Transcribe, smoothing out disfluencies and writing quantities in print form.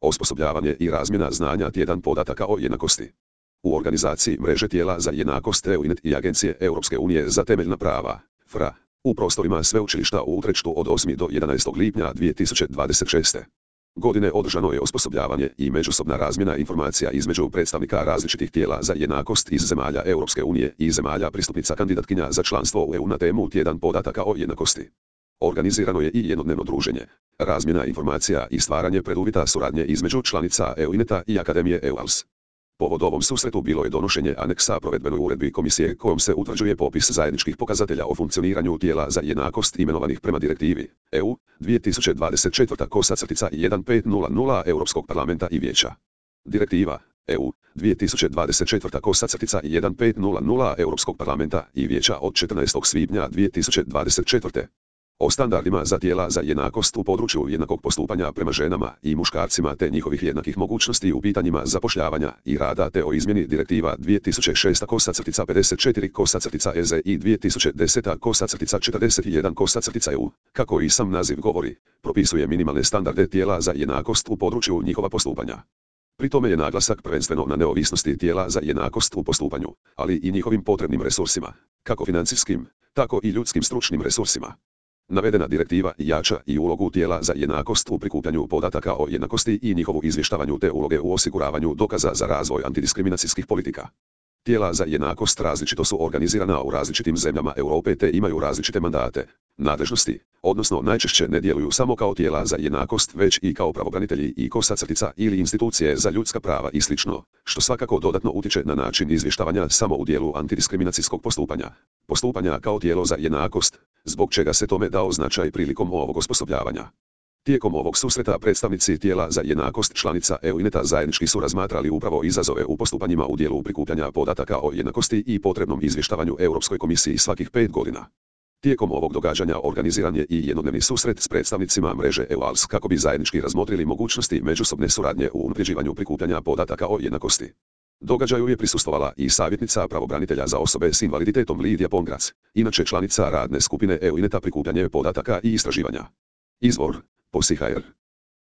Osposobljavanje i razmjena znanja tjedan podataka o jednakosti. U organizaciji mreže tijela za jednakost EUINET i Agencije Europske unije za temeljna prava, FRA, u prostorima sveučilišta u Utrechtu od 8. do 11. lipnja 2026. godine održano je osposobljavanje i međusobna razmjena informacija između predstavnika različitih tijela za jednakost iz zemalja Europske unije i zemalja pristupnica kandidatkinja za članstvo u EU na temu tjedan podataka o jednakosti. Organizirano je i jednodnevno druženje, razmjena informacija i stvaranje preduvjeta suradnje između članica EUINETA i Akademije EUALS. Povod ovom susretu bilo je donošenje aneksa provedbenoj uredbi komisije kojom se utvrđuje popis zajedničkih pokazatelja o funkcioniranju tijela za jednakost imenovanih prema direktivi EU 2024/1500 Europskog parlamenta i vijeća. Direktiva EU 2024/1500 Europskog parlamenta i vijeća od 14. svibnja 2024. o standardima za tijela za jednakost u području jednakog postupanja prema ženama i muškarcima te njihovih jednakih mogućnosti u pitanjima zapošljavanja i rada te o izmjeni direktiva 2006/54/EZ i 2010/41/EU, kako i sam naziv govori, propisuje minimalne standarde tijela za jednakost u području njihova postupanja. Pri tome je naglasak prvenstveno na neovisnosti tijela za jednakost u postupanju, ali i njihovim potrebnim resursima, kako financijskim, tako i ljudskim stručnim resursima. Navedena direktiva jača i ulogu tijela za jednakost u prikupljanju podataka o jednakosti i njihovu izvještavanju te uloge u osiguravanju dokaza za razvoj antidiskriminacijskih politika. Tijela za jednakost različito su organizirana u različitim zemljama Europe te imaju različite mandate, nadležnosti, odnosno najčešće ne djeluju samo kao tijela za jednakost već i kao pravobranitelji i kosa-crtica ili institucije za ljudska prava i sl., što svakako dodatno utječe na način izvještavanja samo u dijelu antidiskriminacijskog postupanja kao tijelo za jednakost, zbog čega se tome dao značaj prilikom ovog osposobljavanja. Tijekom ovog susreta predstavnici tijela za jednakost članica EUINETA zajednički su razmatrali upravo izazove u postupanjima u dijelu prikupljanja podataka o jednakosti i potrebnom izvještavanju Europskoj komisiji svakih 5 godina. Tijekom ovog događanja organiziran je i jednodnevni susret s predstavnicima mreže EUALS kako bi zajednički razmotrili mogućnosti međusobne suradnje u unapređivanju prikupljanja podataka o jednakosti. Događaju je prisustvovala i savjetnica pravobranitelja za osobe s invaliditetom Lidija Pongrac, inače članica radne skupine EUINETA prikupljanje podataka i istraživanja. Izvor: POSI.hr